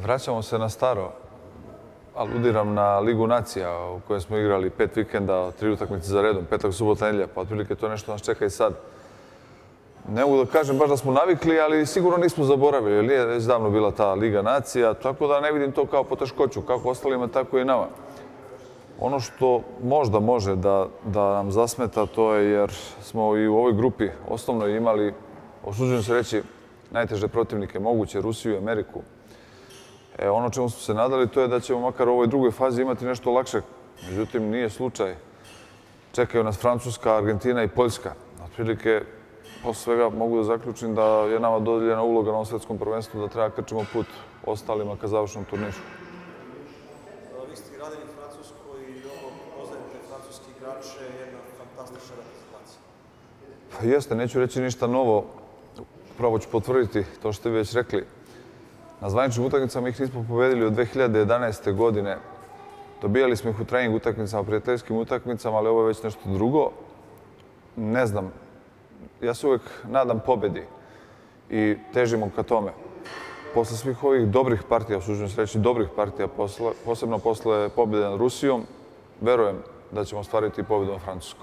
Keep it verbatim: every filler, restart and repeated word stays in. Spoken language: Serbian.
Vraćamo se na staro. Aludiram na Ligu nacija u kojoj smo igrali pet vikenda, tri utakmice za redom, petak, subota, nedelja, pa otprilike to nešto nas čeka i sad. Ne mogu da kažem baš da smo navikli, ali sigurno nismo zaboravili, jer nije već davno bila ta Liga nacija, tako da ne vidim to kao poteškoću, kako ostalima, tako i nama. Ono što možda može da, da nam zasmeta, to je jer smo i u ovoj grupi osnovno imali, osuđujem se reći, najteže protivnike moguće, Rusiju i Ameriku. E, ono čemu smo se nadali, to je da ćemo makar u ovoj drugoj fazi imati nešto lakše. Međutim, nije slučaj. Čekaju nas Francuska, Argentina i Poljska. Otprilike, posle svega mogu da zaključim da je nama dodeljena uloga na ovom svetskom prvenstvu, da treba krčimo put ostalima ka završnom turniru. Vi ste gradili Francusku i dobro poznajete francuski igrače, jedna fantastična reprezentacija. Pa jeste, neću reći ništa novo. Pravo ću potvrditi to što ste već rekli. Na zvaničnim utakmicama ih nismo pobedili od dve hiljade jedanaeste. godine. Dobijali smo ih u trening utakmicama, prijateljskim utakmicama, ali ovo je već nešto drugo. Ne znam. Ja se uvek nadam pobedi i težimo ka tome. Posle svih ovih dobrih partija, usuđujem se reći dobrih partija, posle, posebno posle pobjede nad Rusijom, verujem da ćemo ostvariti pobedu na Francusku.